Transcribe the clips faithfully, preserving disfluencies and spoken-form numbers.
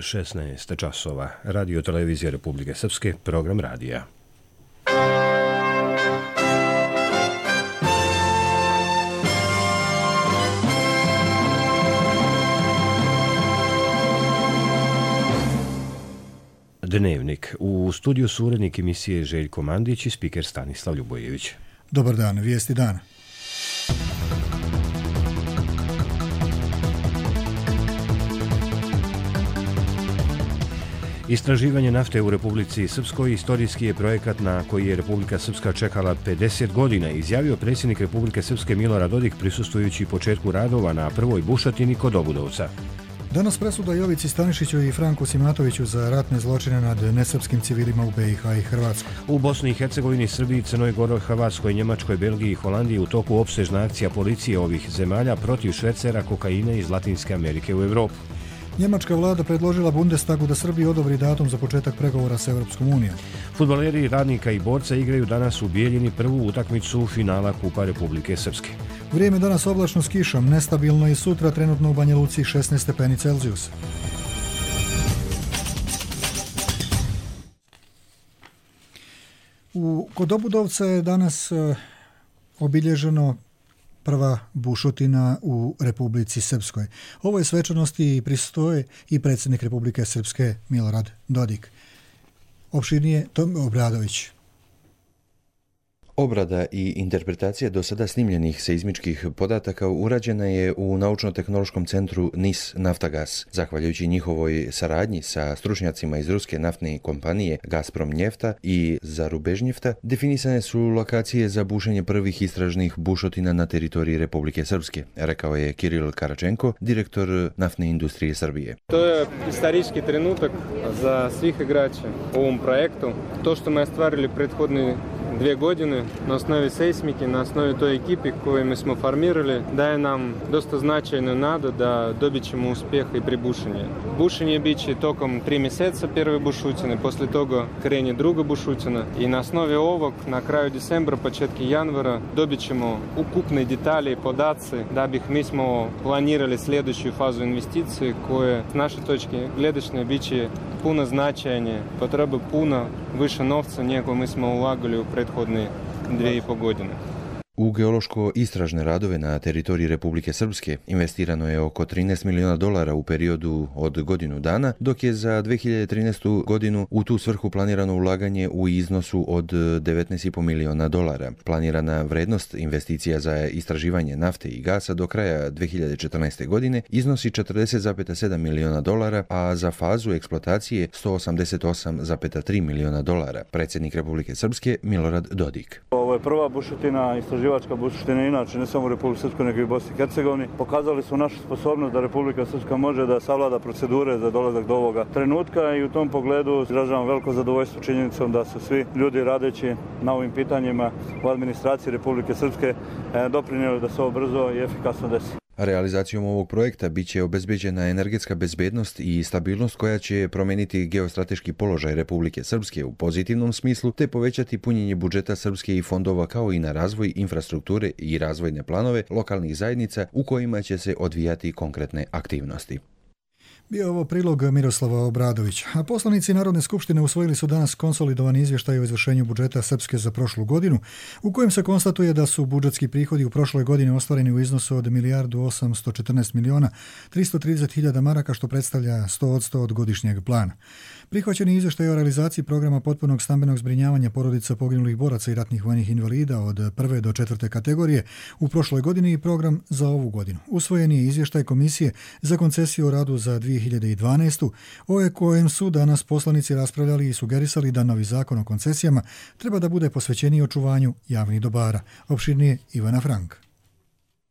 šesnaest časova. Radio televizija Republike Srpske, program radija. Dnevnik. U studiju su urednik emisije Željko Mandić i spiker Stanislav Ljubojević. Dobar dan, vijesti dana. Istraživanje nafte u Republici Srpskoj istorijski je projekat na koji je Republika Srpska čekala pedeset godina, izjavio predsjednik Republike Srpske Milorad Dodik prisustvujući početku radova na prvoj bušotini kod Obudovca. Danas presuda Jovici Stanišiću i Franku Simatoviću za ratne zločine nad nesrpskim civilima u B i H i Hrvatskoj. U Bosni i Hercegovini, Srbiji, Crnoj Gori, Hrvatskoj, Njemačkoj, Belgiji i Holandiji u toku opsežna akcija policije ovih zemalja protiv švercera kokaina iz Latinske Amerike u Europu. Njemačka vlada predložila Bundestagu da Srbiji odobri datum za početak pregovora s Europskom unijom. Fudbaleri Radnika i Borca igraju danas u Bijeljini prvu utakmicu finala Kupa Republike Srpske. Vrijeme danas oblačno s kišom, nestabilno i sutra trenutno u Banja Luci šesnaest stepeni Celzijusa. U Kod Obudovca je danas uh, obilježeno prva bušotina u Republici Srpskoj. Ovoj svečanosti pristoje i predsjednik Republike Srpske Milorad Dodik. Opširnije Tom Obradović. Obrada i interpretacija do sada snimljenih seizmičkih podataka urađena je u Naučno-tehnološkom centru N I S Naftagas. Zahvaljujući njihovoj saradnji sa stručnjacima iz ruske naftne kompanije Gazprom Njefta i Zarubežnjefta, definisane su lokacije za bušenje prvih istražnih bušotina na teritoriji Republike Srpske, rekao je Kiril Karačenko, direktor naftne industrije Srbije. To je istorijski trenutak za svih igrača u ovom projektu. To što smo ostvarili prethodni dvije godine na osnovi seismike, na osnovi toj ekipi koju mi smo formirali, daje nam dosta značajnu nadu da dobit ćemo uspjeh i pri bušenju. Bušenje bit će tokom tri mjeseca prve bušutine, poslije toga krene druga bušutina i na osnovi ovog na kraju decembra, početki januara dobit ćemo ukupne detalje i podaci da bih mi smo planirali sljedeću fazu investicije koje s naše točke gledišne bit će puno značajnije, potreba puno više novca nego mi smo ulagali u prethodne dvije i pol godine. U geološko-istražne radove na teritoriji Republike Srpske investirano je oko trinaest miliona dolara u periodu od godinu dana, dok je za dvije hiljade trinaestu godinu u tu svrhu planirano ulaganje u iznosu od devetnaest i po miliona dolara. Planirana vrednost investicija za istraživanje nafte i gasa do kraja dvije hiljade četrnaeste. godine iznosi četrdeset zarez sedam miliona dolara, a za fazu eksploatacije sto osamdeset osam zarez tri miliona dolara. Predsjednik Republike Srpske Milorad Dodik. Ovo je prva bušotina, istraživačka bušotina, inače ne samo u Republike Srpskoj nego i u Bosni i Hercegovini. Pokazali su našu sposobnost da Republika Srpska može da savlada procedure za dolazak do ovoga trenutka i u tom pogledu izražavam veliko zadovoljstvo činjenicom da su svi ljudi radeći na ovim pitanjima u administraciji Republike Srpske doprinijeli da se ovo brzo i efikasno desi. Realizacijom ovog projekta bit će obezbeđena energetska bezbednost i stabilnost koja će promijeniti geostrateški položaj Republike Srpske u pozitivnom smislu te povećati punjenje budžeta Srpske i fondova kao i na razvoj infrastrukture i razvojne planove lokalnih zajednica u kojima će se odvijati konkretne aktivnosti. Bio ovo prilog Miroslava Obradovića. A poslanici Narodne skupštine usvojili su danas konsolidovani izvještaj o izvršenju budžeta Srpske za prošlu godinu, u kojem se konstatuje da su budžetski prihodi u prošloj godini ostvareni u iznosu od milijardu osamsto četrnaest miliona tristo trideset hiljada maraka, što predstavlja sto posto od godišnjeg plana. Prihvaćeni izvještaj o realizaciji programa potpunog stambenog zbrinjavanja porodica poginulih boraca i ratnih vojnih invalida od prve do četvrte kategorije u prošloj godini i program za ovu godinu. Usvojen je izvještaj Komisije za koncesiju o radu za dvije hiljade dvanaestu. o kojem su danas poslanici raspravljali i sugerisali da novi zakon o koncesijama treba da bude posvećeniji očuvanju javnih dobara. Opširnije Ivana Frank.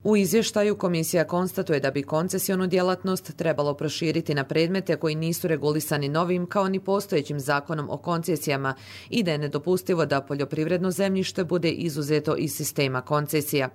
U izvještaju komisija konstatuje da bi koncesionu djelatnost trebalo proširiti na predmete koji nisu regulisani novim kao ni postojećim zakonom o koncesijama i da je nedopustivo da poljoprivredno zemljište bude izuzeto iz sistema koncesija.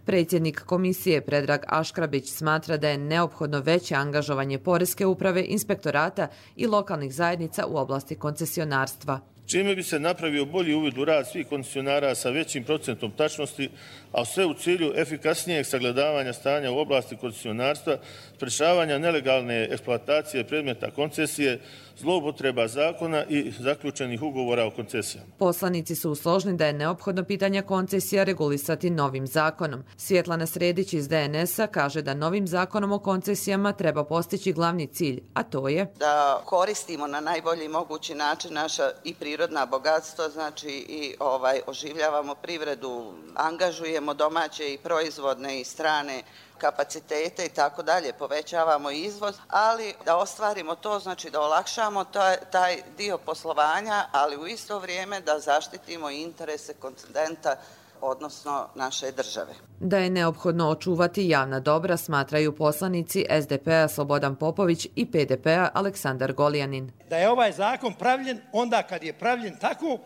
Predsjednik komisije Predrag Aškrabić smatra da je neophodno veće angažovanje Poreske uprave, inspektorata i lokalnih zajednica u oblasti koncesionarstva. čime bi se napravio bolji uvid u rad svih koncesionara sa većim procentom tačnosti, a sve u cilju efikasnijeg sagledavanja stanja u oblasti koncesionarstva, sprečavanja nelegalne eksploatacije predmeta koncesije, zloupotreba zakona i zaključenih ugovora o koncesijama. Poslanici su složni da je neophodno pitanje koncesija regulisati novim zakonom. Svjetlana Sredić iz D N S-a kaže da novim zakonom o koncesijama treba postići glavni cilj, a to je da koristimo na najbolji mogući način naša i prirodna bogatstva, znači i ovaj oživljavamo privredu, angažujemo domaće i proizvodne i strane kapacitete i tako dalje, povećavamo izvoz, ali da ostvarimo to, znači da olakšamo taj, taj dio poslovanja, ali u isto vrijeme da zaštitimo interese koncedenta, odnosno naše države. Da je neophodno očuvati javna dobra, smatraju poslanici S D P-a Slobodan Popović i P D P-a Aleksandar Goljanin. Da je ovaj zakon pravljen onda kad je pravljen tako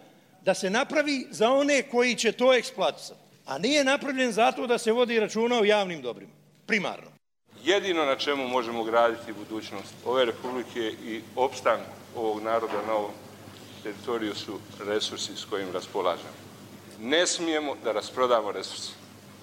da se napravi za one koji će to eksploatisati, a nije napravljen zato da se vodi računa o javnim dobrima, primarno. Jedino na čemu možemo graditi budućnost ove republike i opstanku ovog naroda na ovom teritoriju su resursi s kojim raspolažemo. Ne smijemo da rasprodamo resurse.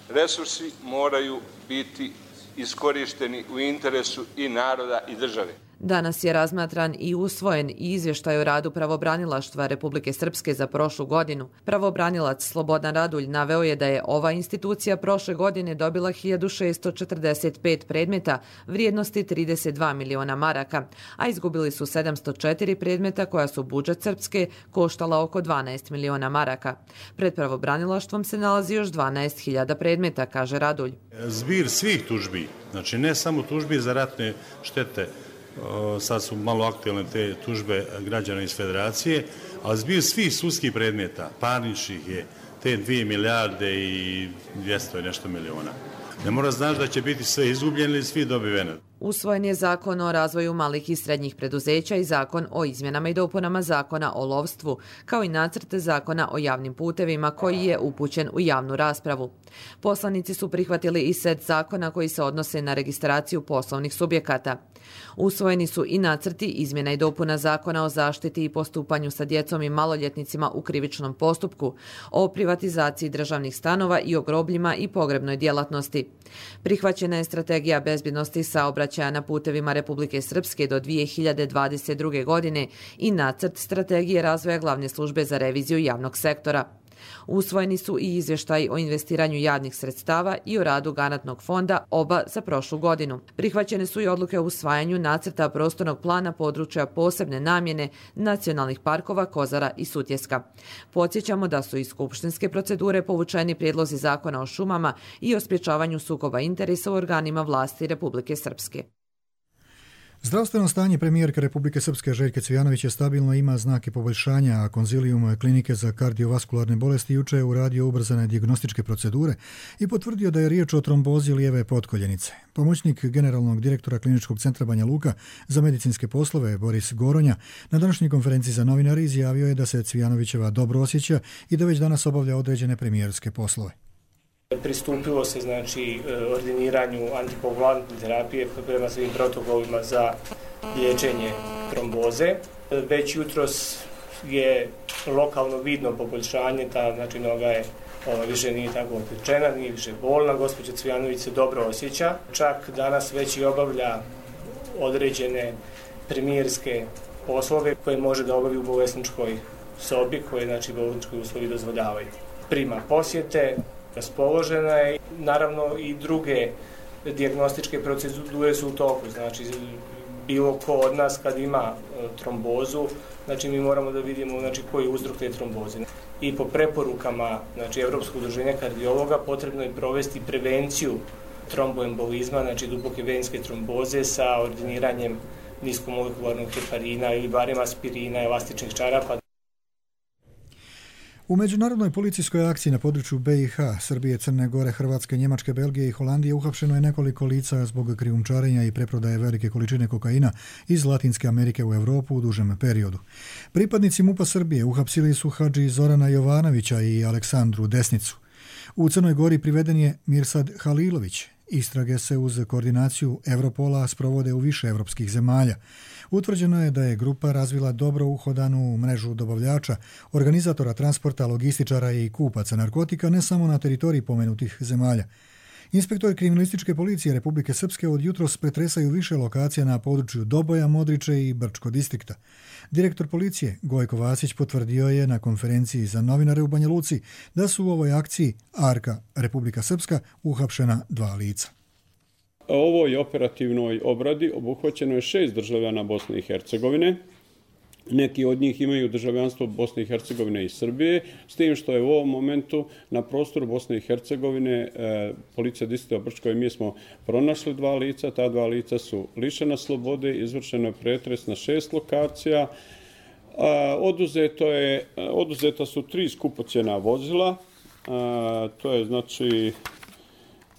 Resursi moraju biti iskorišteni u interesu i naroda i države. Danas je razmatran i usvojen izvještaj o radu pravobranilaštva Republike Srpske za prošlu godinu. Pravobranilac Slobodan Radulj naveo je da je ova institucija prošle godine dobila hiljadu šessto četrdeset pet predmeta vrijednosti trideset dva miliona maraka, a izgubili su sedamsto četiri predmeta koja su budžet Srpske koštala oko dvanaest miliona maraka. Pred pravobranilaštvom se nalazi još dvanaest hiljada predmeta, kaže Radulj. Zbir svih tužbi, znači ne samo tužbi za ratne štete, sad su malo aktualne te tužbe građana iz Federacije, ali zbir svih sudskih predmeta, parničnih je te dvije milijarde i dvjesto i nešto miliona. Ne mora znaš da će biti sve izgubljeni ili svi dobiveni. Usvojen je zakon o razvoju malih i srednjih preduzeća i zakon o izmjenama i dopunama zakona o lovstvu, kao i nacrt zakona o javnim putevima koji je upućen u javnu raspravu. Poslanici su prihvatili i set zakona koji se odnose na registraciju poslovnih subjekata. Usvojeni su i nacrti izmjena i dopuna zakona o zaštiti i postupanju sa djecom i maloljetnicima u krivičnom postupku, o privatizaciji državnih stanova i o grobljima i pogrebnoj djelatnosti. Prihvaćena je strategija bezbjednosti saobraćaja na putevima Republike Srpske do dvije hiljade dvadeset druge. godine i nacrt strategije razvoja glavne službe za reviziju javnog sektora. Usvojeni su i izvještaji o investiranju javnih sredstava i o radu garantnog fonda, oba za prošlu godinu. Prihvaćene su i odluke o usvajanju nacrta prostornog plana područja posebne namjene nacionalnih parkova Kozara i Sutjeska. Podsjećamo da su iz skupštinske procedure povučeni prijedlozi zakona o šumama i o sprječavanju sukoba interesa u organima vlasti Republike Srpske. Zdravstveno stanje premijerke Republike Srpske Željke Cvijanović je stabilno, ima znake poboljšanja, a konzilijum klinike za kardiovaskularne bolesti juče je uradio ubrzane dijagnostičke procedure i potvrdio da je riječ o trombozi lijeve potkoljenice. Pomoćnik generalnog direktora Kliničkog centra Banja Luka za medicinske poslove Boris Goronja na današnjoj konferenciji za novinare izjavio je da se Cvijanovićeva dobro osjeća i da već danas obavlja određene premijerske poslove. Pristupilo se znači ordiniranju antikoagulantne terapije prema svim protokolima za liječenje tromboze. Već jutros je lokalno vidno poboljšanje, ta znači noga je ova, više nije tako opečena, nije više bolna, gospođa Cvijanović se dobro osjeća. Čak danas već i obavlja određene premijerske poslove koje može da obavi u bolesničkoj sobi koje znači bolnički uslovi dozvoljavaju. Prima posjete, raspoložena je. Naravno i druge dijagnostičke procedure su u toku. Znači bilo ko od nas kad ima trombozu, znači mi moramo da vidimo znači koji je uzrok te tromboze. I po preporukama znači Evropskog udruženja kardiologa potrebno je provesti prevenciju tromboembolizma, znači duboke venske tromboze sa ordiniranjem niskomolekularnog heparina ili barem aspirina, elastičnih čarapa. U međunarodnoj policijskoj akciji na području B i H, Srbije, Crne Gore, Hrvatske, Njemačke, Belgije i Holandije uhapšeno je nekoliko lica zbog krijumčarenja i preprodaje velike količine kokaina iz Latinske Amerike u Europu u dužem periodu. Pripadnici MUP-a Srbije uhapsili su hadži Zorana Jovanovića i Aleksandru Desnicu. U Crnoj Gori priveden je Mirsad Halilović Istrage se uz koordinaciju Europola sprovode u više evropskih zemalja. Utvrđeno je da je grupa razvila dobro uhodanu mrežu dobavljača, organizatora transporta, logističara i kupaca narkotika ne samo na teritoriji pomenutih zemalja. Inspektori kriminalističke policije Republike Srpske od jutros pretresaju više lokacija na području Doboja, Modriče i Brčko distrikta. Direktor policije Gojko Vasić potvrdio je na konferenciji za novinare u Banja Luci da su u ovoj akciji Arka Republika Srpska uhapšena dva lica. U ovoj operativnoj obradi obuhvaćeno je šest državljana Bosne i Hercegovine. Neki od njih imaju državljanstvo Bosne i Hercegovine i Srbije, s tim što je u ovom momentu na prostoru Bosne i Hercegovine e, policija distrikta Brčko i mi smo pronašli dva lica. Ta dva lica su lišena slobode, izvršeno je pretres na šest lokacija. A, oduzeto je, oduzeta su tri skupocjena vozila, a, to je znači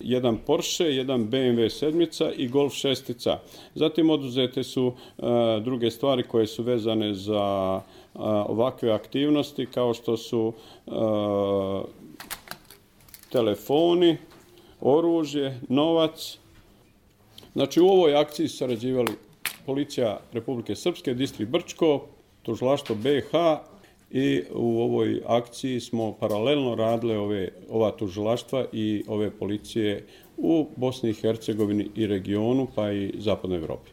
jedan Porsche, jedan B M W sedmica i Golf šestica. Zatim oduzete su uh, druge stvari koje su vezane za uh, ovakve aktivnosti kao što su uh, telefoni, oružje, novac. Znači u ovoj akciji su sarađivali policija Republike Srpske, distrikt Brčko, tužilaštvo B i H, i u ovoj akciji smo paralelno radile ove, ova tužilaštva i ove policije u Bosni i Hercegovini i regionu, pa i Zapadnoj Evropi.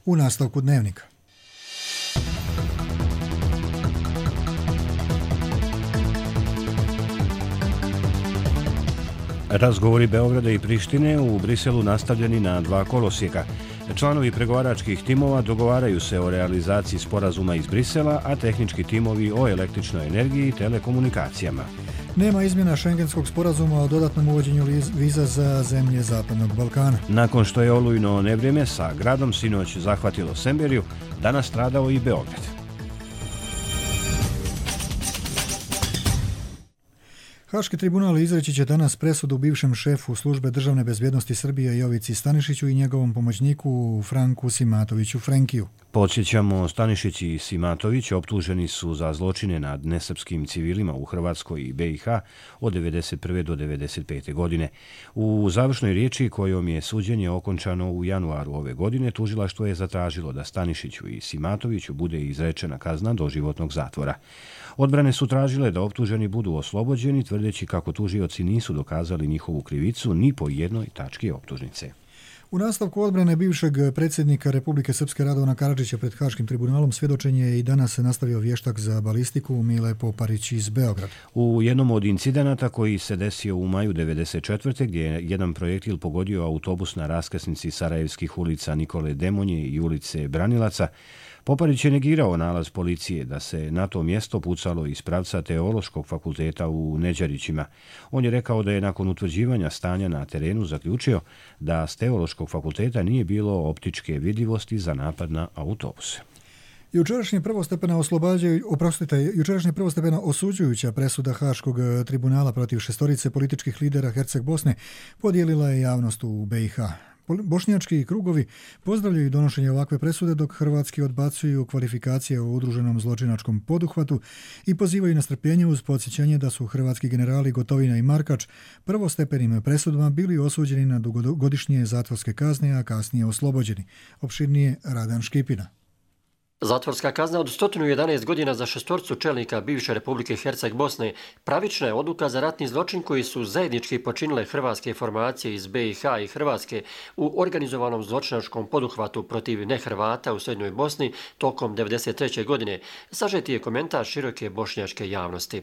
U nastavku dnevnika. Razgovori Beograda i Prištine u Briselu nastavljeni na dva kolosijeka. Članovi pregovaračkih timova dogovaraju se o realizaciji sporazuma iz Brisela, a tehnički timovi o električnoj energiji i telekomunikacijama. Nema izmjena Šengenskog sporazuma o dodatnom uvođenju viza za zemlje Zapadnog Balkana. Nakon što je olujno nevrijeme sa gradom sinoć zahvatilo Semberiju, danas stradao i Beograd. Haški tribunal izreći će danas presudu bivšem šefu službe državne bezbjednosti Srbije Jovici Stanišiću i njegovom pomoćniku Franku Simatoviću Frenkiju. Podsjećamo, Stanišić i Simatović optuženi su za zločine nad nesrpskim civilima u Hrvatskoj i B i H od devedeset prve do devedeset pete godine. U završnoj riječi kojom je suđenje okončano u januaru ove godine, tužilaštvo je zatražilo da Stanišiću i Simatoviću bude izrečena kazna doživotnog zatvora. Odbrane su tražile da optuženi budu oslobođeni, tvrdeći kako tužioci nisu dokazali njihovu krivicu ni po jednoj tački optužnice. U nastavku odbrane bivšeg predsjednika Republike Srpske Radovana Karadžića pred Haškim tribunalom svjedočenje je i danas nastavio vještak za balistiku Mile Poparić iz Beograda. U jednom od incidenata koji se desio u maju devedeset četvrte gdje je jedan projektil pogodio autobus na raskrsnici Sarajevskih ulica Nikole Demonje i ulice Branilaca, Poparić je negirao nalaz policije da se na to mjesto pucalo iz pravca Teološkog fakulteta u Neđarićima. On je rekao da je nakon utvrđivanja stanja na terenu zaključio da s Teološkog fakulteta nije bilo optičke vidljivosti za napad na autobuse. Jučerašnje prvostepena oslobađaju, oprostite, jučerašnje prvostepena osuđujuća presuda Haškog tribunala protiv šestorice političkih lidera Herceg Bosne podijelila je javnost u B i H. Bošnjački krugovi pozdravljaju donošenje ovakve presude, dok hrvatski odbacuju kvalifikacije o udruženom zločinačkom poduhvatu i pozivaju na strpljenje uz podsjećanje da su hrvatski generali Gotovina i Markač prvostepenim presudama bili osuđeni na dugogodišnje zatvorske kazne, a kasnije oslobođeni. Opširnije Radan Škipina. Zatvorska kazna od sto jedanaest godina za šestorcu čelnika bivše Republike Herceg Bosne pravična je odluka za ratni zločin koji su zajednički počinile hrvatske formacije iz B i H i Hrvatske u organizovanom zločinačkom poduhvatu protiv nehrvata u Srednjoj Bosni tokom devedeset treće godine, sažeti je komentar široke bošnjačke javnosti.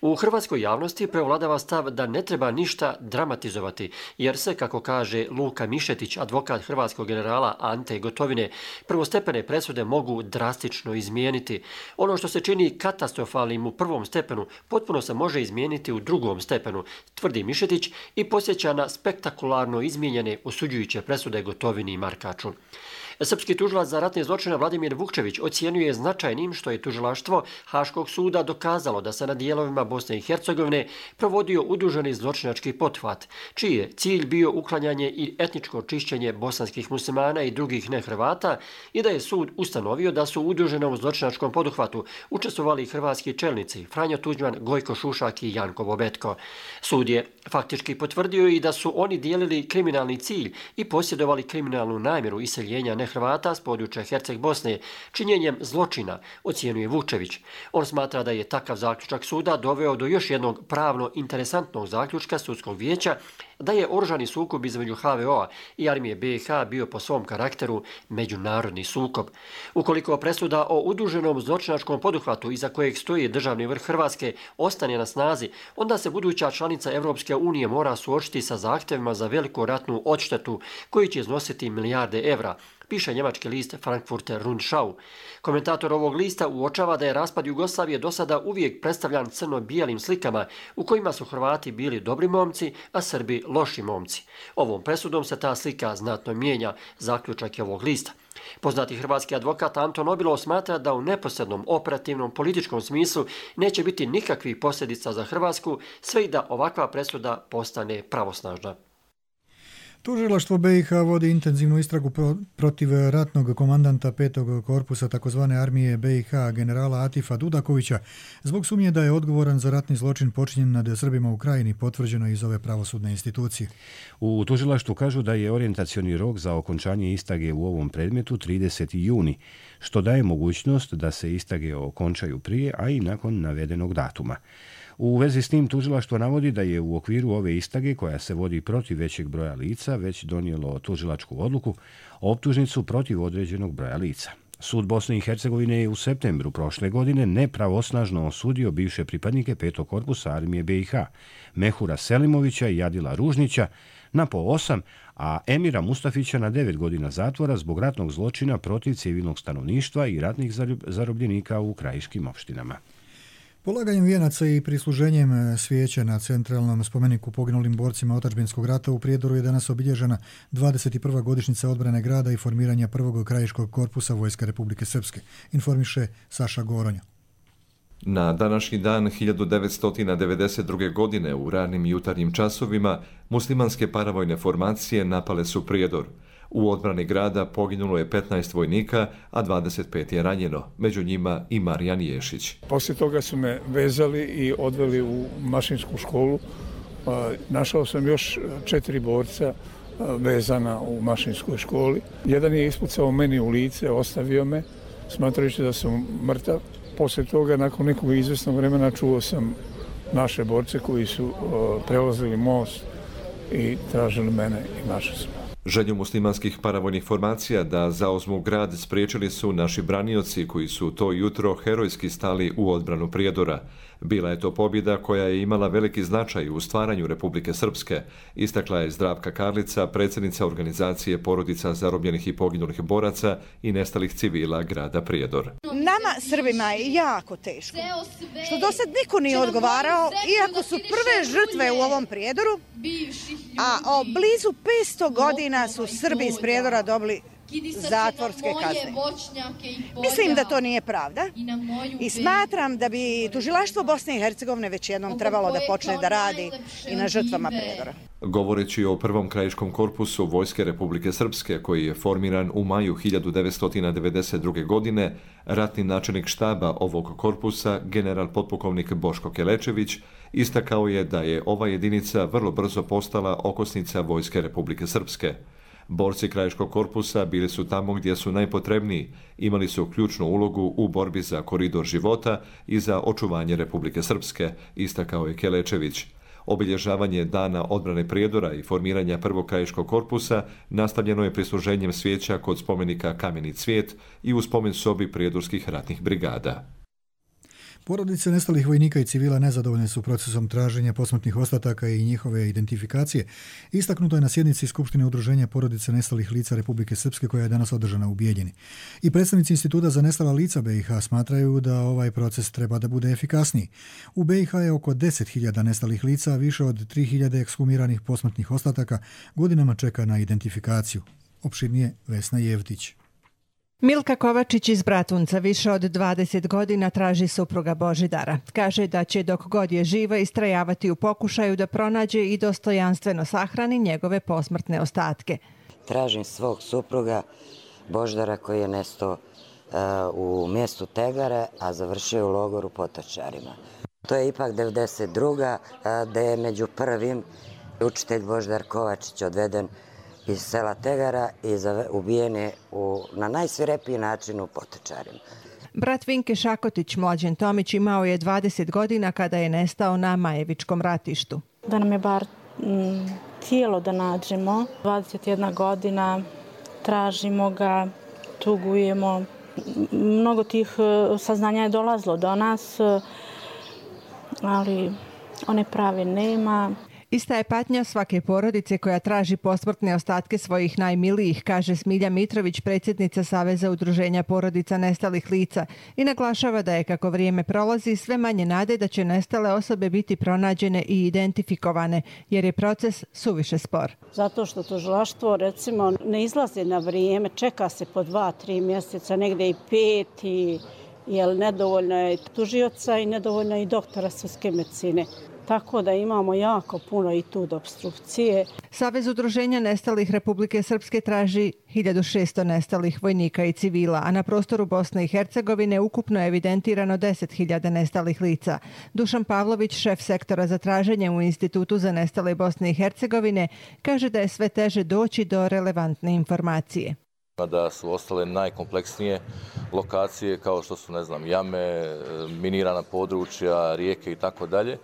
U hrvatskoj javnosti prevladava stav da ne treba ništa dramatizovati, jer se, kako kaže Luka Mišetić, advokat hrvatskog generala Ante Gotovine, prvostepene presude mogu drastično izmijeniti. Ono što se čini katastrofalnim u prvom stepenu potpuno se može izmijeniti u drugom stepenu, tvrdi Mišetić i posjeća na spektakularno izmijenjene osuđujuće presude Gotovini i Markaču. Srpski tužilac za ratne zločine Vladimir Vukčević ocijenjuje značajnim što je tužilaštvo Haškog suda dokazalo da se na dijelovima Bosne i Hercegovine provodio udruženi zločinački pothvat, čiji je cilj bio uklanjanje i etničko čišćenje bosanskih muslimana i drugih nehrvata i da je sud ustanovio da su u udruženom zločinačkom poduhvatu učestvovali hrvatski čelnici Franjo Tuđman, Gojko Šušak i Janko Bobetko. Sud je faktički potvrdio i da su oni dijelili kriminalni cilj i posjedovali kriminalnu namjeru iseljenja nehrvata s područja Herceg Bosne činjenjem zločina, ocijenjuje Vukčević. On smatra da je takav zaključak suda doveo do još jednog pravno interesantnog zaključka sudskog vijeća da je oružani sukob između H V O-a i armije B i H bio po svom karakteru međunarodni sukob. Ukoliko presuda o udruženom zločinačkom poduhvatu iza kojeg stoji državni vrh Hrvatske ostane na snazi, onda se buduća članica Evropske unije mora suočiti sa zahtjevima za veliku ratnu odštetu koji će iznositi milijarde evra, piše njemački list Frankfurter Rundschau. Komentator ovog lista uočava da je raspad Jugoslavije do sada uvijek predstavljan crno-bijelim slikama u kojima su Hrvati bili dobri momci, a Srbi loši momci. Ovom presudom se ta slika znatno mijenja, zaključak je ovog lista. Poznati hrvatski advokat Anton Obilov smatra da u neposrednom operativnom političkom smislu neće biti nikakvih posljedica za Hrvatsku, sve i da ovakva presuda postane pravosnažna. Tužilaštvo B i H vodi intenzivnu istragu protiv ratnog komandanta petog korpusa takozvane armije B i H generala Atifa Dudakovića zbog sumnje da je odgovoran za ratni zločin počinjen nad Srbima u Krajini, potvrđeno iz ove pravosudne institucije. U tužilaštvu kažu da je orijentacioni rok za okončanje istage u ovom predmetu trideseti juni, što daje mogućnost da se istage okončaju prije, a i nakon navedenog datuma. U vezi s tim tužilaštvo navodi da je u okviru ove istage koja se vodi protiv većeg broja lica već donijelo tužilačku odluku, optužnicu protiv određenog broja lica. Sud Bosne i Hercegovine je u septembru prošle godine nepravosnažno osudio bivše pripadnike petog korpusa armije B i H, Mehura Selimovića i Jadila Ružnića na po osam, a Emira Mustafića na devet godina zatvora zbog ratnog zločina protiv civilnog stanovništva i ratnih zarobljenika u krajiškim opštinama. Polaganjem vijenaca i prisluženjem svijeća na centralnom spomeniku poginulim borcima otadžbinskog rata u Prijedoru je danas obilježena dvadeset prva godišnjica odbrane grada i formiranja prvog krajiškog korpusa Vojske Republike Srpske, informiše Saša Goronja. Na današnji dan hiljadu devetsto devedeset druge. godine u ranim jutarnjim časovima muslimanske paravojne formacije napale su Prijedor. U odbrani grada poginulo je petnaest vojnika, a dvadeset pet je ranjeno, među njima i Marijan Ješić. Poslije toga su me vezali i odveli u mašinsku školu. Našao sam još četiri borca vezana u mašinskoj školi. Jedan je ispucao meni u lice, ostavio me, smatrajući da sam mrtav. Poslije toga, nakon nekog izvesnog vremena, čuo sam naše borce koji su prelazili most i tražili mene i našli su. Želju muslimanskih paravojnih formacija da zauzmu grad spriječili su naši branioci koji su to jutro herojski stali u odbranu Prijedora. Bila je to pobjeda koja je imala veliki značaj u stvaranju Republike Srpske, istakla je Zdravka Karlica, predsjednica organizacije porodica zarobljenih i poginulih boraca i nestalih civila grada Prijedor. Nama Srbima je jako teško, što do sad niko nije odgovarao, iako su prve žrtve u ovom Prijedoru, a o blizu petsto godina su Srbi iz Prijedora dobili zatvorske kazne. Mislim da to nije pravda i smatram da bi tužilaštvo Bosne i Hercegovine već jednom trebalo da počne da radi i na žrtvama Prijedora. Govoreći o prvom krajiškom korpusu Vojske Republike Srpske, koji je formiran u maju hiljadu devetsto devedeset druge. godine, ratni načelnik štaba ovog korpusa, general potpukovnik Boško Kelečević, istakao je da je ova jedinica vrlo brzo postala okosnica Vojske Republike Srpske. Borci krajiškog korpusa bili su tamo gdje su najpotrebniji, imali su ključnu ulogu u borbi za koridor života i za očuvanje Republike Srpske, istakao je Kelečević. Obilježavanje dana odbrane Prijedora i formiranja prvog krajiškog korpusa nastavljeno je prisluženjem svijeća kod spomenika Kameni cvijet i u spomen sobi prijedorskih ratnih brigada. Porodice nestalih vojnika i civila nezadovoljne su procesom traženja posmrtnih ostataka i njihove identifikacije. Istaknuto je na sjednici Skupštine udruženja porodice nestalih lica Republike Srpske koja je danas održana u Bijeljini. I predstavnici Instituta za nestala lica B i H smatraju da ovaj proces treba da bude efikasniji. U B i H je oko deset hiljada nestalih lica, a više od tri hiljade ekshumiranih posmrtnih ostataka godinama čeka na identifikaciju. Opširnije Vesna Jevtić. Milka Kovačić iz Bratunca više od dvadeset godina traži supruga Božidara. Kaže da će dok god je živa istrajavati u pokušaju da pronađe i dostojanstveno sahrani njegove posmrtne ostatke. Tražim svog supruga Božidara koji je nestao uh, u mjestu Tegare, a završio u logoru Potočarima. To je ipak devedeset druga Uh, da je među prvim učitelj Božidar Kovačić odveden iz sela Tegara i ubijen je u, na najsvirepiji način u Potočarima. Brat Vinke Šakotić, Mlađen Tomić, imao je dvadeset godina kada je nestao na Majevičkom ratištu. Da nam je bar m, tijelo da nađemo. dvadeset jedna godina, tražimo ga, tugujemo. Mnogo tih saznanja je dolazilo do nas, ali one prave nema. Ista je patnja svake porodice koja traži posmrtne ostatke svojih najmilijih, kaže Smilja Mitrović, predsjednica Saveza udruženja porodica nestalih lica, i naglašava da je kako vrijeme prolazi sve manje nade da će nestale osobe biti pronađene i identifikovane, jer je proces suviše spor. Zato što tužilaštvo recimo ne izlazi na vrijeme, čeka se po dva, tri mjeseca, negdje i pet, i jer nedovoljno je tužioca i nedovoljno je i doktora sudske medicine. Tako da imamo jako puno i tu opstrukcije. Savez udruženja nestalih Republike Srpske traži hiljadu šesto nestalih vojnika i civila, a na prostoru Bosne i Hercegovine ukupno je evidentirano deset hiljada nestalih lica. Dušan Pavlović, šef sektora za traženje u Institutu za nestale Bosne i Hercegovine, kaže da je sve teže doći do relevantne informacije. Da su ostale najkompleksnije lokacije kao što su, ne znam, jame, minirana područja, rijeke i tako dalje.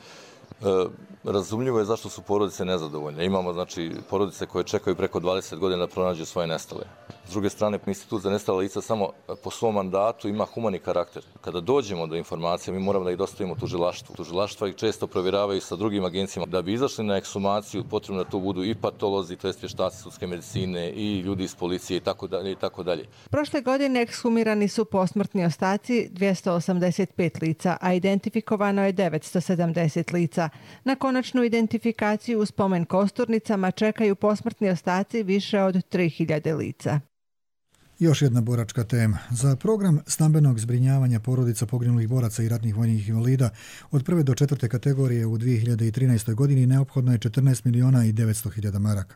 Razumljivo je zašto su porodice nezadovoljne. Imamo, znači, porodice koje čekaju preko dvadeset godina da pronađu svoje nestale. S druge strane, Institut za nestala lica samo po svom mandatu ima humani karakter. Kada dođemo do informacija, mi moramo da ih dostavimo tužilaštvu. Tužilaštva ih često provjeravaju sa drugim agencijama. Da bi izašli na ekshumaciju, potrebno da tu budu i patolozi, to jest vještaci sudske medicine, i ljudi iz policije i tako dalje i tako dalje. Prošle godine ekshumirani su posmrtni ostaci dvjesto osamdeset pet lica, a identifikovano je devetsto sedamdeset lica. Na konačnu identifikaciju u spomen kosturnicama čekaju posmrtni ostaci više od tri hiljade lica. Još jedna boračka tema. Za program stambenog zbrinjavanja porodica poginulih boraca i ratnih vojnih invalida od prve do četvrte kategorije u dvije hiljade trinaestoj. godini neophodno je četrnaest miliona i devetsto hiljada maraka.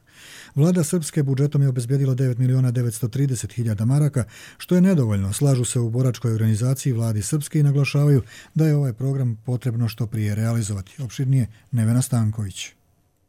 Vlada Srpske budžetom je obezbjedila devet miliona devetsto trideset hiljada maraka, što je nedovoljno. Slažu se u boračkoj organizaciji Vladi Srpske i naglašavaju da je ovaj program potrebno što prije realizovati. Opširnije Nevena Stanković.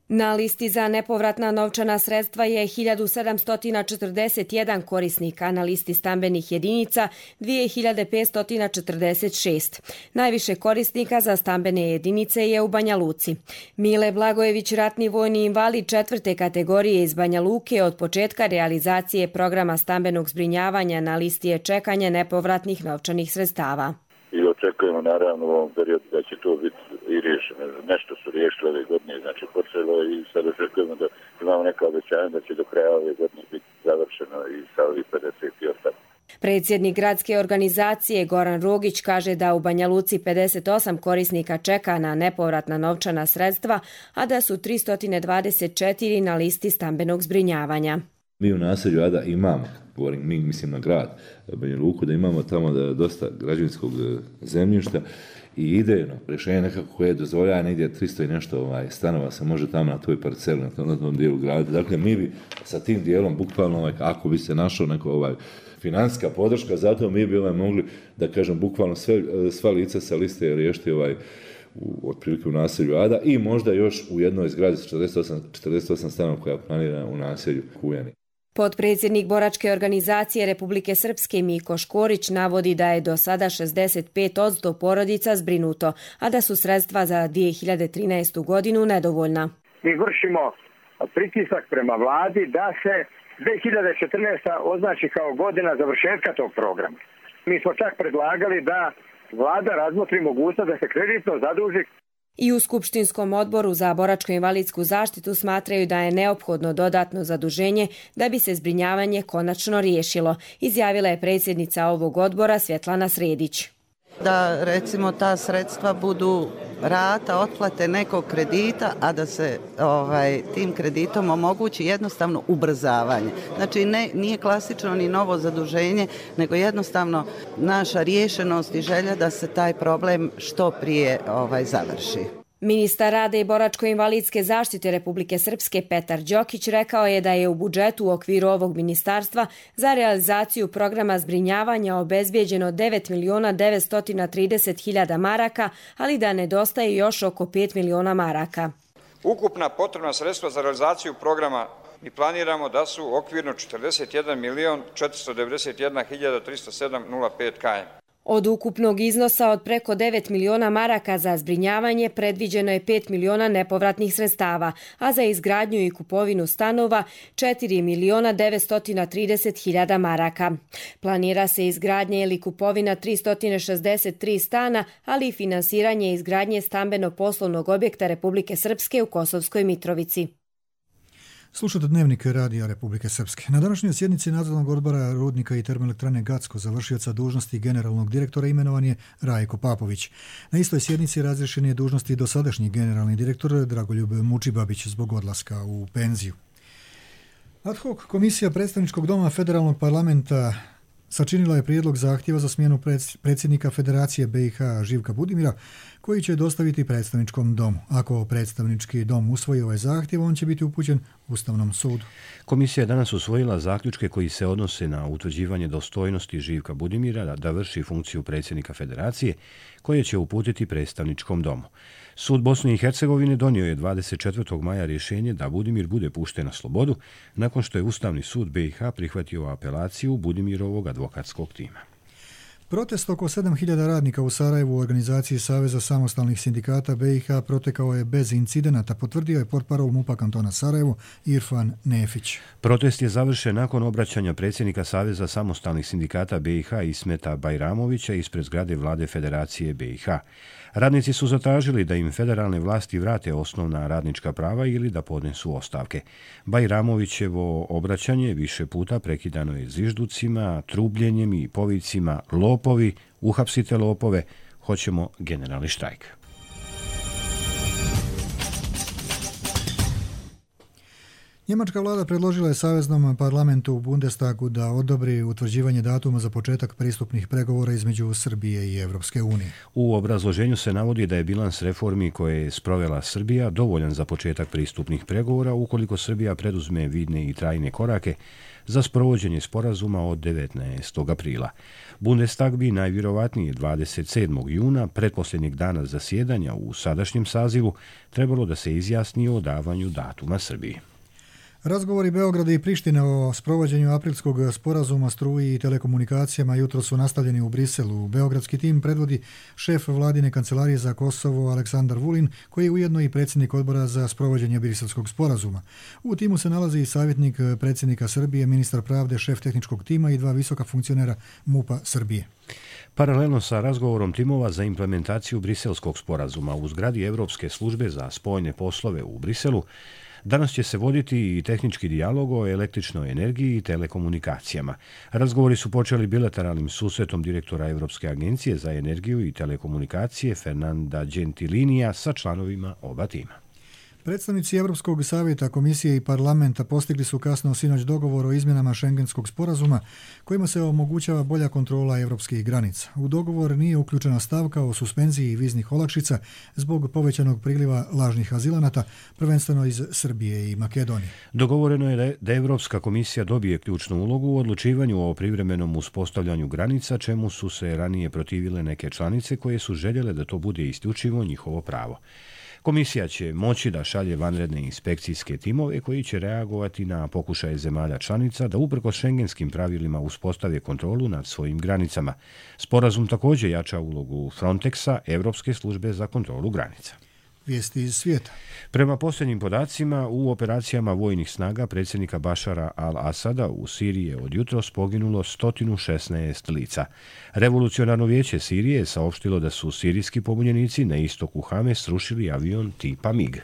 Na listi za nepovratna novčana sredstva je hiljadu sedamsto četrdeset jedan korisnika, na listi stambenih jedinica dvije hiljade petsto četrdeset šest. Najviše korisnika za stambene jedinice je u Banja Luci. Mile Blagojević, ratni vojni invalid četvrte kategorije iz Banja Luke, od početka realizacije programa stambenog zbrinjavanja na listi je čekanja nepovratnih novčanih sredstava. I očekujemo naravno u ovom periodu da će to biti i riješeno. Nešto su riješili ove godine, znači počelo i sad očekujemo da imamo neka obećanja da će do kraja ove godine biti završeno i sa ovih pedeset i osam. Predsjednik gradske organizacije Goran Rogić kaže da u Banja Luci pedeset osam korisnika čeka na nepovratna novčana sredstva, a da su tristo dvadeset četiri na listi stambenog zbrinjavanja. Mi u naselju Ada imamo, govorim mi, mislim na grad Banja Luku, da imamo tamo da dosta građevinskog zemljišta i idejno rješenje nekako koje dozvoljava negdje tristo i nešto ovaj, stanova se može tamo na toj parceli, na tom, na tom dijelu grada. Dakle, mi bi sa tim dijelom, bukvalno, ovaj, ako bi se našao neko ovaj, financijska podrška, zato mi bi ovaj, mogli, da kažem, bukvalno sve, sva lica sa liste riješiti ovaj, u, otprilike u naselju Ada i možda još u jednoj zgradi sa četrdeset osam, četrdeset osam stanova koja planira u naselju Kujani. Potpredsjednik boračke organizacije Republike Srpske Miko Škorić navodi da je do sada šezdeset pet posto porodica zbrinuto, a da su sredstva za dvije hiljade trinaestu. godinu nedovoljna. Mi vršimo pritisak prema vladi da se dvije hiljade četrnaesta. označi kao godina završetka tog programa. Mi smo čak predlagali da vlada razmotri mogućnost da se kreditno zaduži. I u Skupštinskom odboru za boračko-invalidsku zaštitu smatraju da je neophodno dodatno zaduženje da bi se zbrinjavanje konačno riješilo, izjavila je predsjednica ovog odbora Svjetlana Sredić. Da recimo ta sredstva budu rata otplate nekog kredita, a da se ovaj, tim kreditom omogući jednostavno ubrzavanje. Znači ne, nije klasično ni novo zaduženje, nego jednostavno naša riješenost i želja da se taj problem što prije ovaj, završi. Ministar rada i boračko-invalidske zaštite Republike Srpske Petar Đokić rekao je da je u budžetu u okviru ovog ministarstva za realizaciju programa zbrinjavanja obezbijeđeno devet miliona devetsto trideset hiljada maraka, ali da nedostaje još oko pet miliona maraka. Ukupna potrebna sredstva za realizaciju programa mi planiramo da su okvirno četrdeset jedan milion četiristo devedeset jedna hiljada tristo sedam zarez nula pet kilometara. Od ukupnog iznosa od preko devet miliona maraka za zbrinjavanje predviđeno je pet miliona nepovratnih sredstava, a za izgradnju i kupovinu stanova četiri miliona devetsto trideset hiljada maraka. Planira se izgradnja ili kupovina tristo šezdeset tri stana, ali i finansiranje izgradnje stambeno-poslovnog objekta Republike Srpske u Kosovskoj Mitrovici. Slušate Dnevnik Radija Republike Srpske. Na današnjoj sjednici Nadzornog odbora Rudnika i termoelektrane Gacko za vršioca dužnosti generalnog direktora imenovan je Rajko Papović. Na istoj sjednici razriješen je dužnosti dosadašnji generalni direktor Dragoljub Mučibabić zbog odlaska u penziju. Ad hoc komisija predstavničkog doma Federalnog parlamenta sačinila je prijedlog zahtjeva za smjenu predsjednika Federacije B i H Živka Budimira, koji će dostaviti predstavničkom domu. Ako predstavnički dom usvoji ovaj zahtjev, on će biti upućen Ustavnom sudu. Komisija je danas usvojila zaključke koji se odnose na utvrđivanje dostojnosti Živka Budimira da vrši funkciju predsjednika Federacije, koje će uputiti predstavničkom domu. Sud Bosne i Hercegovine donio je dvadeset četvrtog maja rješenje da Budimir bude pušten na slobodu, nakon što je Ustavni sud B i H prihvatio apelaciju Budimirovog advokatskog tima. Protest oko sedam hiljada radnika u Sarajevu u organizaciji Saveza samostalnih sindikata B i H protekao je bez incidenata, potvrdio je portparol MUP-a kantona Sarajevo Irfan Nefić. Protest je završen nakon obraćanja predsjednika Saveza samostalnih sindikata B i H Ismeta Bajramovića ispred zgrade vlade Federacije B i H. Radnici su zatražili da im federalne vlasti vrate osnovna radnička prava ili da podnesu ostavke. Bajramovićevo obraćanje više puta prekidano je zvižducima, trubljenjem i povicima lopovi, uhapsite lopove, hoćemo generalni štrajk. Njemačka vlada predložila je Saveznom parlamentu u Bundestagu da odobri utvrđivanje datuma za početak pristupnih pregovora između Srbije i Evropske unije. U obrazloženju se navodi da je bilans reformi koje je sprovela Srbija dovoljan za početak pristupnih pregovora ukoliko Srbija preduzme vidne i trajne korake za sprovođenje sporazuma od devetnaestog aprila. Bundestag bi najvjerovatnije dvadeset sedmog juna, pretposljednjeg dana zasjedanja u sadašnjem sazivu, trebalo da se izjasni o davanju datuma Srbiji. Razgovori Beograda i Prištine o sprovođenju aprilskog sporazuma struji i telekomunikacijama jutro su nastavljeni u Briselu. Beogradski tim predvodi šef vladine kancelarije za Kosovo Aleksandar Vulin, koji je ujedno i predsjednik odbora za sprovođenje briselskog sporazuma. U timu se nalazi i savjetnik predsjednika Srbije, ministar pravde, šef tehničkog tima i dva visoka funkcionera MUP-a Srbije. Paralelno sa razgovorom timova za implementaciju briselskog sporazuma u zgradi Evropske službe za spoljne poslove u Briselu, danas će se voditi i tehnički dijalog o električnoj energiji i telekomunikacijama. Razgovori su počeli bilateralnim susretom direktora Evropske agencije za energiju i telekomunikacije Fernanda Gentilinija sa članovima oba tima. Predstavnici Evropskog savjeta, komisije i parlamenta postigli su kasno sinoć dogovor o izmjenama šengenskog sporazuma kojima se omogućava bolja kontrola evropskih granica. U dogovor nije uključena stavka o suspenziji viznih olakšica zbog povećanog priliva lažnih azilanata, prvenstveno iz Srbije i Makedonije. Dogovoreno je da Evropska komisija dobije ključnu ulogu u odlučivanju o privremenom uspostavljanju granica, čemu su se ranije protivile neke članice koje su željele da to bude isključivo njihovo pravo. Komisija će moći da šalje vanredne inspekcijske timove koji će reagovati na pokušaje zemalja članica da uprkos šengenskim pravilima uspostave kontrolu nad svojim granicama. Sporazum također jača ulogu Frontexa, Evropske službe za kontrolu granica. Vijesti iz svijeta. Prema posljednjim podacima, u operacijama vojnih snaga predsjednika Bašara al-Asada u Siriji je od jutros poginulo sto šesnaest lica. Revolucionarno vijeće Sirije je saopštilo da su sirijski pobunjenici na istoku Hame srušili avion tipa MiG.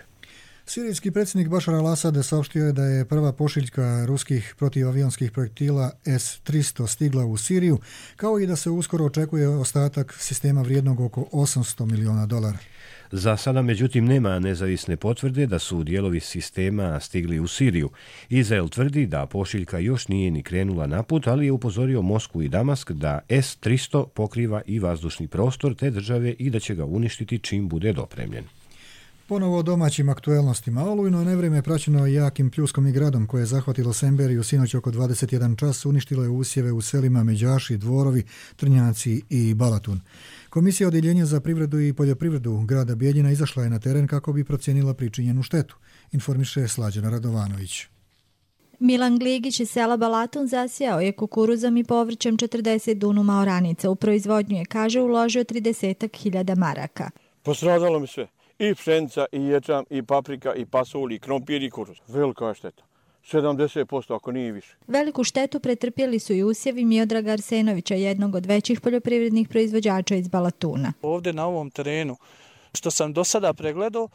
Sirijski predsjednik Bašar al-Asad saopštio je da je prva pošiljka ruskih protivavionskih projektila S tristo stigla u Siriju, kao i da se uskoro očekuje ostatak sistema vrijednog oko osamsto miliona dolara. Za sada, međutim, nema nezavisne potvrde da su dijelovi sistema stigli u Siriju. Izrael tvrdi da pošiljka još nije ni krenula na put, ali je upozorio Moskvu i Damask da S tristo pokriva i vazdušni prostor te države i da će ga uništiti čim bude dopremljen. Ponovo o domaćim aktuelnostima. Olujno nevrijeme praćeno jakim pljuskom i gradom koje je zahvatilo Semberiju sinoć oko dvadeset jedan čas, uništilo je usjeve u selima Međaši, Dvorovi, Trnjaci i Balatun. Komisija Odjeljenja za privredu i poljoprivredu grada Bijeljina izašla je na teren kako bi procijenila pričinjenu štetu, informiše Slađana Radovanović. Milan Gligić iz sela Balatun zasijao je kukuruzom i povrćem četrdeset dunuma oranica. U proizvodnju je, kaže, uložio trideset hiljada maraka. Postradalo mi sve. I pšenica, i ječam, i paprika, i pasulj, i krompir, i kuruz. Velika je šteta. sedamdeset posto ako nije više. Veliku štetu pretrpjeli su i usjevi Miodraga Arsenovića, jednog od većih poljoprivrednih proizvođača iz Balatuna. Ovdje na ovom terenu, što sam do sada pregledao,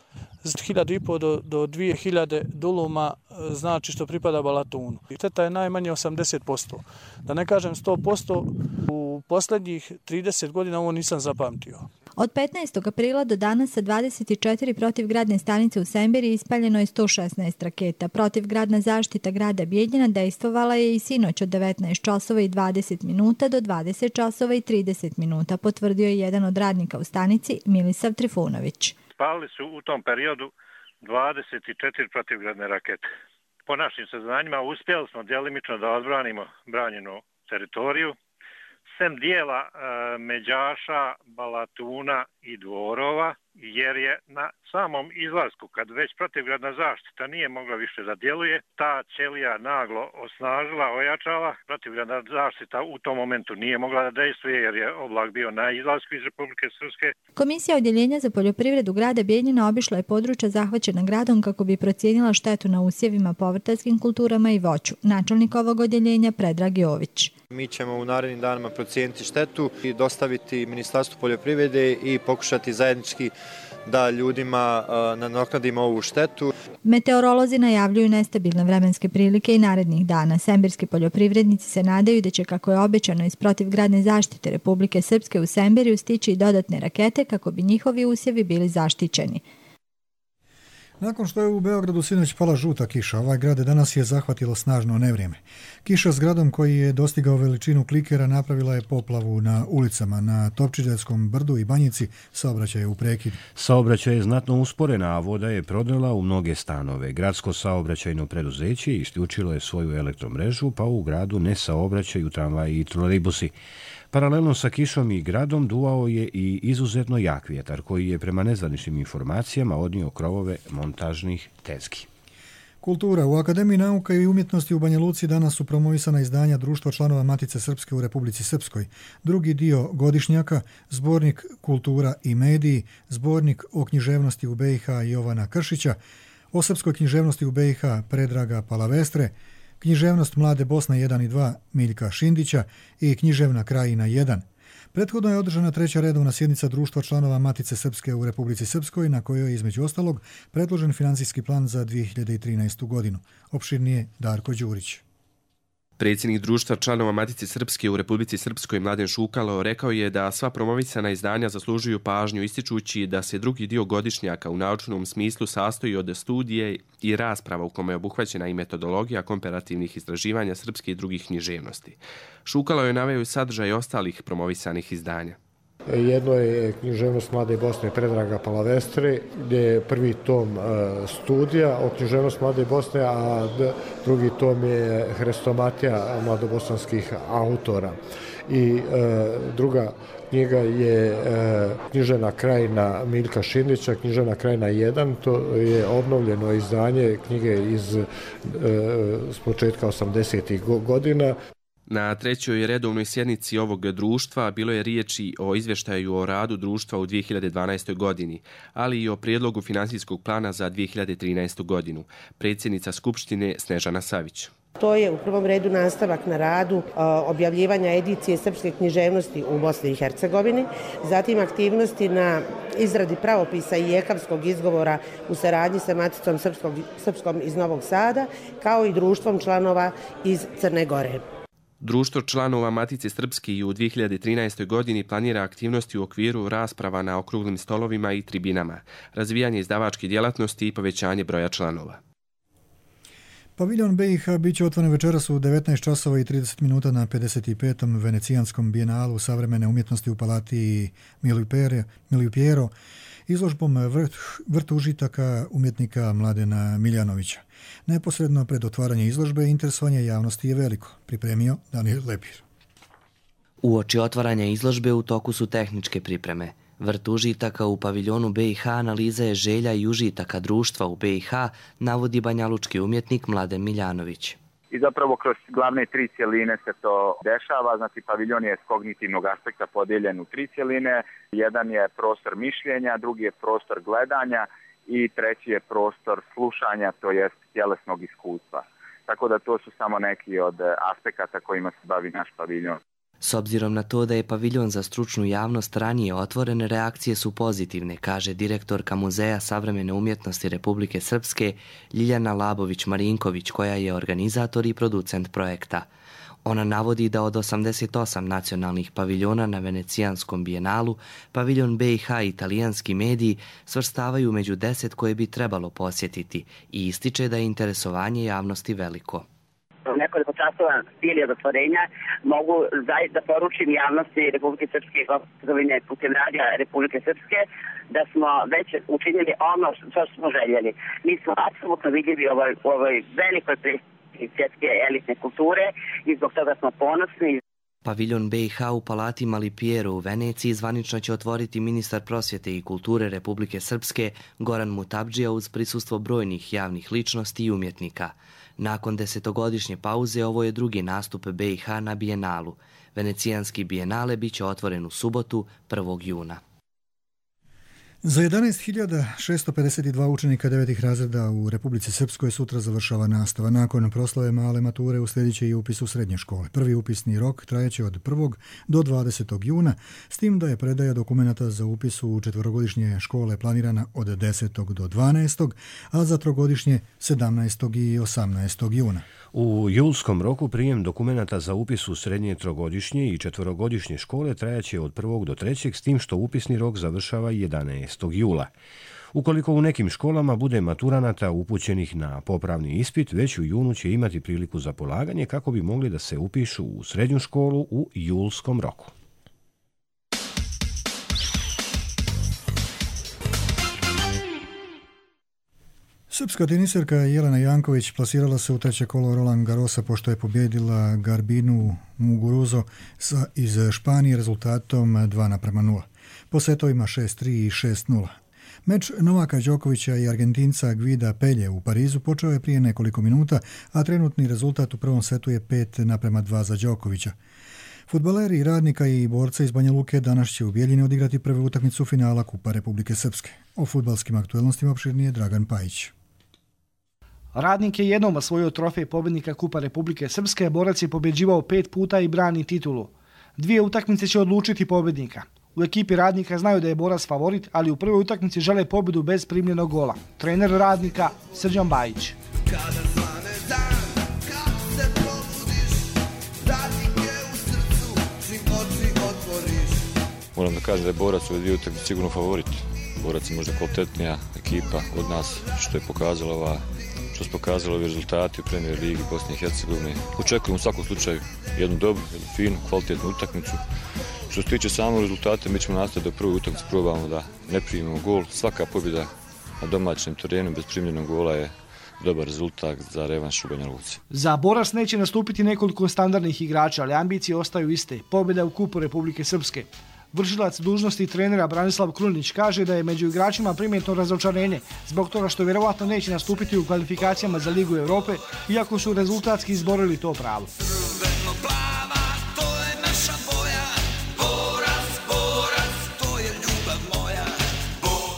hiljadu i po do, do dvije hiljade duluma, znači što pripada Balatunu. Šteta je najmanje osamdeset posto. Da ne kažem sto posto, u posljednjih trideset godina ovo nisam zapamtio. Od petnaestog aprila do danas sa dvadeset četiri protivgradne stanice u Semberiji ispaljeno je sto šesnaest raketa. Protivgradna zaštita grada Bijeljina dejstvovala je i sinoć od devetnaest časova i dvadeset minuta do dvadeset časova i trideset minuta, potvrdio je jedan od radnika u stanici, Milisav Trifunović. Spalili su u tom periodu dvadeset četiri protivgradne rakete. Po našim saznanjima uspjeli smo djelimično da odbranimo branjenu teritoriju, sem dijela e, Međaša, Balatuna i Dvorova, jer je na samom izlasku, kad već protivgradna zaštita nije mogla više da djeluje, ta ćelija naglo osnažila, ojačala. Protivgradna zaštita u tom momentu nije mogla da dejstvuje jer je oblak bio na izlasku iz Republike Srpske. Komisija Odjeljenja za poljoprivredu grada Bijeljina obišla je područja zahvaćena gradom kako bi procijenila štetu na usjevima, povrtarskim kulturama i voću. Načelnik ovog odjeljenja Predrag Jović. Mi ćemo u narednim danima procijeniti štetu i dostaviti Ministarstvu poljoprivrede i pokušati zajednički da ljudima nadoknadimo ovu štetu. Meteorolozi najavljuju nestabilne vremenske prilike i narednih dana. Semberski poljoprivrednici se nadaju da će, kako je obećano iz protivgradne zaštite Republike Srpske, u Semberiju stići i dodatne rakete kako bi njihovi usjevi bili zaštićeni. Nakon što je u Beogradu sinoć pala žuta kiša, ovaj grad danas je zahvatilo snažno nevrijeme. Kiša s gradom koji je dostigao veličinu klikera napravila je poplavu na ulicama. Na Topčiderskom brdu i Banjici saobraćaj je u prekidu. Saobraćaj je znatno usporena, a voda je prodrla u mnoge stanove. Gradsko saobraćajno preduzeće isključilo je svoju elektromrežu, pa u gradu ne saobraćaju tramvaji i trolejbusi. Paralelno sa kišom i gradom duvao je i izuzetno jak vjetar koji je prema nezvaničnim informacijama odnio krovove montažnih tezgi. Kultura. U Akademiji nauka i umjetnosti u Banja Luci danas su promovisana izdanja Društva članova Matice Srpske u Republici Srpskoj. Drugi dio godišnjaka, zbornik Kultura i mediji, zbornik o književnosti u be i ha Jovana Kršića, o srpskoj književnosti u be i ha Predraga Palavestre, književnost Mlade Bosne jedan i dva Miljka Šindića i književna Krajina jedan. Prethodno je održana treća redovna sjednica Društva članova Matice Srpske u Republici Srpskoj, na kojoj je između ostalog predložen financijski plan za dvije hiljade trinaestu. godinu. Opširnije Darko Đurić. Predsjednik Društva članova Matice Srpske u Republici Srpskoj Mladen Šukalo rekao je da sva promovisana izdanja zaslužuju pažnju, ističući da se drugi dio godišnjaka u naučnom smislu sastoji od studije i rasprava u kome je obuhvaćena i metodologija komparativnih istraživanja srpske i drugih književnosti. Šukalo je naveo i sadržaj ostalih promovisanih izdanja. Jedno je književnost Mlade Bosne Predraga Palavestre, gdje je prvi tom studija o književnost Mlade Bosne, a drugi tom je hrestomatija mladobosanskih autora. I druga knjiga je književna Krajina Miljka Šindića, književna Krajina jedan, to je obnovljeno izdanje knjige iz s početka osamdesetih godina. Na trećoj redovnoj sjednici ovog društva bilo je riječi o izvještaju o radu društva u dvije hiljade dvanaestoj. godini, ali i o prijedlogu finansijskog plana za dvije hiljade trinaestu. godinu. Predsjednica Skupštine Snežana Savić. To je u prvom redu nastavak na radu objavljivanja edicije srpske književnosti u Bosni i Hercegovini, zatim aktivnosti na izradi pravopisa i jekavskog izgovora u saradnji sa Maticom Srpskog, Srpskom iz Novog Sada, kao i društvom članova iz Crne Gore. Društvo članova Matice Srpske i u dvije hiljade trinaestoj. godini planira aktivnosti u okviru rasprava na okruglim stolovima i tribinama, razvijanje izdavačke djelatnosti i povećanje broja članova. Paviljon B i H bit će otvoren večeras u devetnaest časova i trideset minuta na pedeset petom Venecijanskom bijenalu savremene umjetnosti u palati Milipiero, izložbom vrt, vrt užitaka umjetnika Mladena Miljanovića. Neposredno pred otvaranje izložbe interesovanje javnosti je veliko, pripremio Daniel Lepir. Uoči otvaranja izložbe u toku su tehničke pripreme. Vrt užitaka u paviljonu B i H analiza je želja i užitaka društva u B i H, navodi banjalučki umjetnik Mladen Miljanović. I zapravo kroz glavne tri cjeline se to dešava, znači paviljon je s kognitivnog aspekta podijeljen u tri cjeline, jedan je prostor mišljenja, drugi je prostor gledanja i treći je prostor slušanja, to jest tjelesnog iskustva. Tako da to su samo neki od aspekata kojima se bavi naš paviljon. S obzirom na to da je paviljon za stručnu javnost ranije otvoren, reakcije su pozitivne, kaže direktorka Muzeja savremene umjetnosti Republike Srpske Ljiljana Labović-Marinković, koja je organizator i producent projekta. Ona navodi da od osamdeset osam nacionalnih paviljona na Venecijanskom bijenalu, paviljon B i H i italijanski mediji svrstavaju među deset koje bi trebalo posjetiti i ističe da je interesovanje javnosti veliko. Nekoliko časova prije od otvorenja mogu zaista da poručim javnosti Republike Srpske i Hercegovine putem radija Republike Srpske da smo već učinili ono što smo željeli. Mi smo apsolutno vidljivi u ovoj, ovoj velikoj predstavnici svjetske elitne kulture i zbog toga smo ponosni. Paviljon B i H u palati Malipiero u Veneciji zvanično će otvoriti ministar prosvjete i kulture Republike Srpske Goran Mutabdžija uz prisustvo brojnih javnih ličnosti i umjetnika. Nakon desetogodišnje pauze ovo je drugi nastup B i H na bijenalu. Venecijanski bijenale bit će otvoren u subotu prvog juna. Za jedanaest hiljada šesto pedeset dva učenika devetih razreda u Republici Srpskoj sutra završava nastava. Nakon proslave male mature uslijedit će i upis u srednje škole. Prvi upisni rok trajeće od prvog do dvadesetog juna, s tim da je predaja dokumenata za upis u četverogodišnje škole planirana od desetog do dvanaestog, a za trogodišnje sedamnaestog i osamnaestog juna. U julskom roku prijem dokumenata za upis u srednje trogodišnje i četverogodišnje škole trajaće od prvog do trećeg, s tim što upisni rok završava jedanaestog jula. Ukoliko u nekim školama bude maturanata upućenih na popravni ispit, već u junu će imati priliku za polaganje kako bi mogli da se upišu u srednju školu u julskom roku. Srpska teniserka Jelena Janković plasirala se u treće kolo Roland Garrosa pošto je pobjedila Garbinu Muguruzo iz Španije rezultatom dva naprema nula. Po setovima šest tri i šest nula. Meč Novaka Đokovića i Argentinca Gvida Pelje u Parizu počeo je prije nekoliko minuta, a trenutni rezultat u prvom setu je pet naprema dva za Đokovića. Fudbaleri Radnika i borca iz Banja Luke danas će u Bijeljini odigrati prvu utakmicu finala Kupa Republike Srpske. O fudbalskim aktuelnostima opširnije Dragan Pajić. Radnik je jednom osvojio trofej pobjednika Kupa Republike Srpske, borac je pobjeđivao pet puta i brani titulu. Dvije utakmice će odlučiti pobjednika. U ekipi Radnika znaju da je borac favorit, ali u prvoj utakmici žele pobjedu bez primljenog gola. Trener Radnika Srđan Bajić. Moram da kažem da je borac u dvije utakmice sigurno favorit. Borac je možda kvalitetnija ekipa od nas, što je pokazala ova što su pokazali ovi rezultati u Premier Ligi Bosne i Hercegovine. Očekujemo u svakom slučaju jednu dobru, jednu finu, kvalitetnu utakmicu. Što se tiče samog rezultata, mi ćemo nastaviti da prvu utakmicu probamo da ne primimo gol. Svaka pobjeda na domaćem terenu bez primljenog gola je dobar rezultat za revanš u Banja Luci. Za borac neće nastupiti nekoliko standardnih igrača, ali ambicije ostaju iste. Pobjeda u Kupu Republike Srpske. Vršilac dužnosti trenera Branislav Krunić kaže da je među igračima primjetno razočarenje zbog toga što vjerovatno neće nastupiti u kvalifikacijama za Ligu Europe, iako su rezultatski izborili to pravo.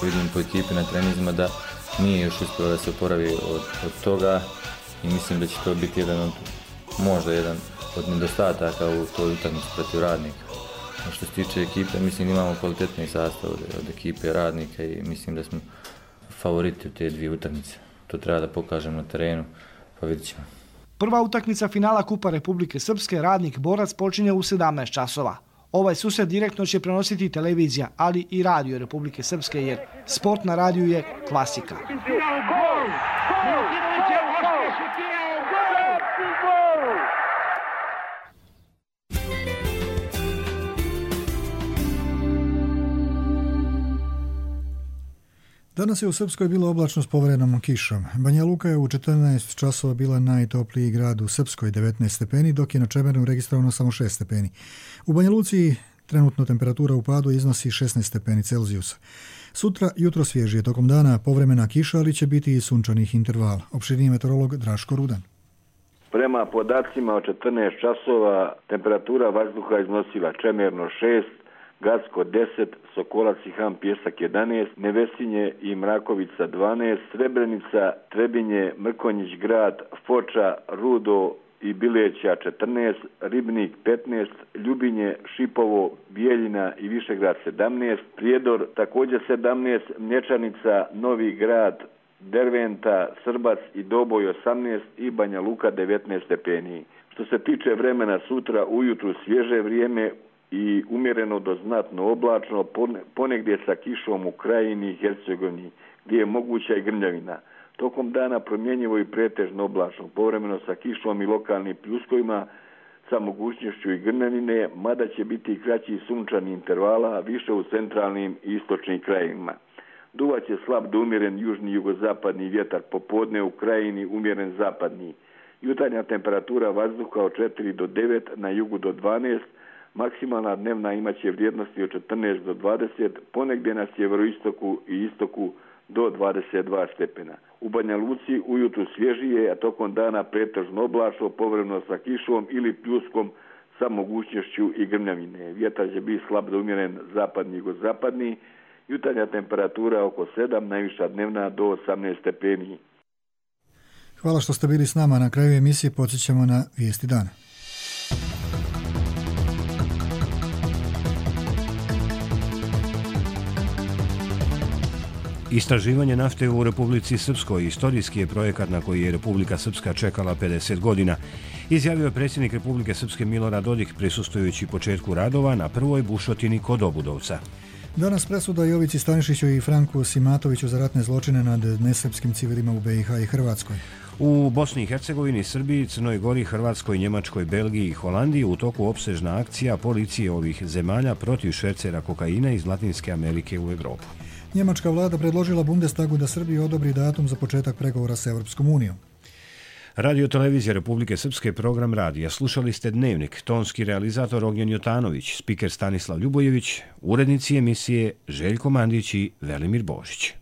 Vidim po ekipi na trenizima da nije još uspio da se oporavi od, od toga i mislim da će to biti jedan od, možda jedan od nedostataka u toj utakmici protiv Radnika. Što se tiče ekipe, mislim da imamo kvalitetni sastav od, od ekipe Radnika i mislim da smo favoriti u te dvije utakmice. To treba da pokažemo na terenu, pa vidit ćemo. Prva utakmica finala Kupa Republike Srpske Radnik Borac počinje u sedamnaest časova. Ovaj susret direktno će prenositi televizija, ali i radio Republike Srpske, jer sport na radiju je klasika. Danas je u Srpskoj bilo oblačno s poverenom kišom. Banja Luka je u četrnaest časova bila najtopliji grad u Srpskoj, devetnaest stepeni, dok je na Čemernu registrovano samo šest stepeni. U Banja Luci trenutno temperatura u padu iznosi šesnaest stepeni Celzijusa. Sutra jutro svježije, tokom dana povremena kiša, ali će biti i sunčanih intervala. Opširniji meteorolog Draško Rudan. Prema podacima od četrnaest časova temperatura vazduha iznosila Čemerno šest, Gacko deset, Sokolac i Han Pjesak jedanaest, Nevesinje i Mrakovica dvanaest, Srebrenica, Trebinje, Mrkonjić grad, Foča, Rudo i Bileća četrnaest, Ribnik petnaest, Ljubinje, Šipovo, Bijeljina i Višegrad sedamnaest, Prijedor također sedamnaest, Mlječanica, Novi grad, Derventa, Srbac i Doboj osamnaest i Banja Luka devetnaest stepeni. Što se tiče vremena sutra, ujutru svježe vrijeme i umjereno do znatno oblačno, ponegdje sa kišom u Krajini i Hercegovini, gdje je moguća i grmljavina. Tokom dana promjenjivo i pretežno oblačno, povremeno sa kišom i lokalnim pljuskovima, sa mogućnošću i grmljavine, mada će biti i kraći sunčani intervala, više u centralnim i istočnim krajevima. Duvaće slab do umjeren južni jugozapadni vjetar, popodne u Krajini umjeren zapadni. Jutarnja temperatura vazduha od četiri do devet, na jugu do dvanaest, maksimalna dnevna imaće vrijednosti od četrnaest do dvadeset, ponegdje na sjeveroistoku i istoku do dvadeset dva stepena. U Banja Luci ujutru svježije, a tokom dana pretežno oblačno, povremeno sa kišom ili pljuskom sa mogućnošću i grmljavine. Vjetar će biti slab do umjeren zapadni i zapadni. Jutarnja temperatura oko sedam, najviša dnevna do osamnaest stepeni. Hvala što ste bili s nama. Na kraju emisije podsjećamo na vijesti dana. Istraživanje nafte u Republici Srpskoj istorijski je projekat na koji je Republika Srpska čekala pedeset godina, izjavio je predsjednik Republike Srpske Milorad Dodik prisustvujući početku radova na prvoj bušotini kod Obudovca. Danas presuda Jovici Stanišiću i Franku Simatoviću za ratne zločine nad nesrpskim civilima u be i ha i Hrvatskoj. U Bosni i Hercegovini, Srbiji, Crnoj Gori, Hrvatskoj, Njemačkoj, Belgiji i Holandiji u toku opsežna akcija policije ovih zemalja protiv švercera kokaina iz Latinske Amerike u Europu. Njemačka vlada predložila Bundestagu da Srbiji odobri datum za početak pregovora s Europskom unijom. Radio televizija Republike Srpske, program radija. Slušali ste Dnevnik, tonski realizator Ognjen Jotanović, spiker Stanislav Ljubojević, urednici emisije Željko Mandić i Velimir Božić.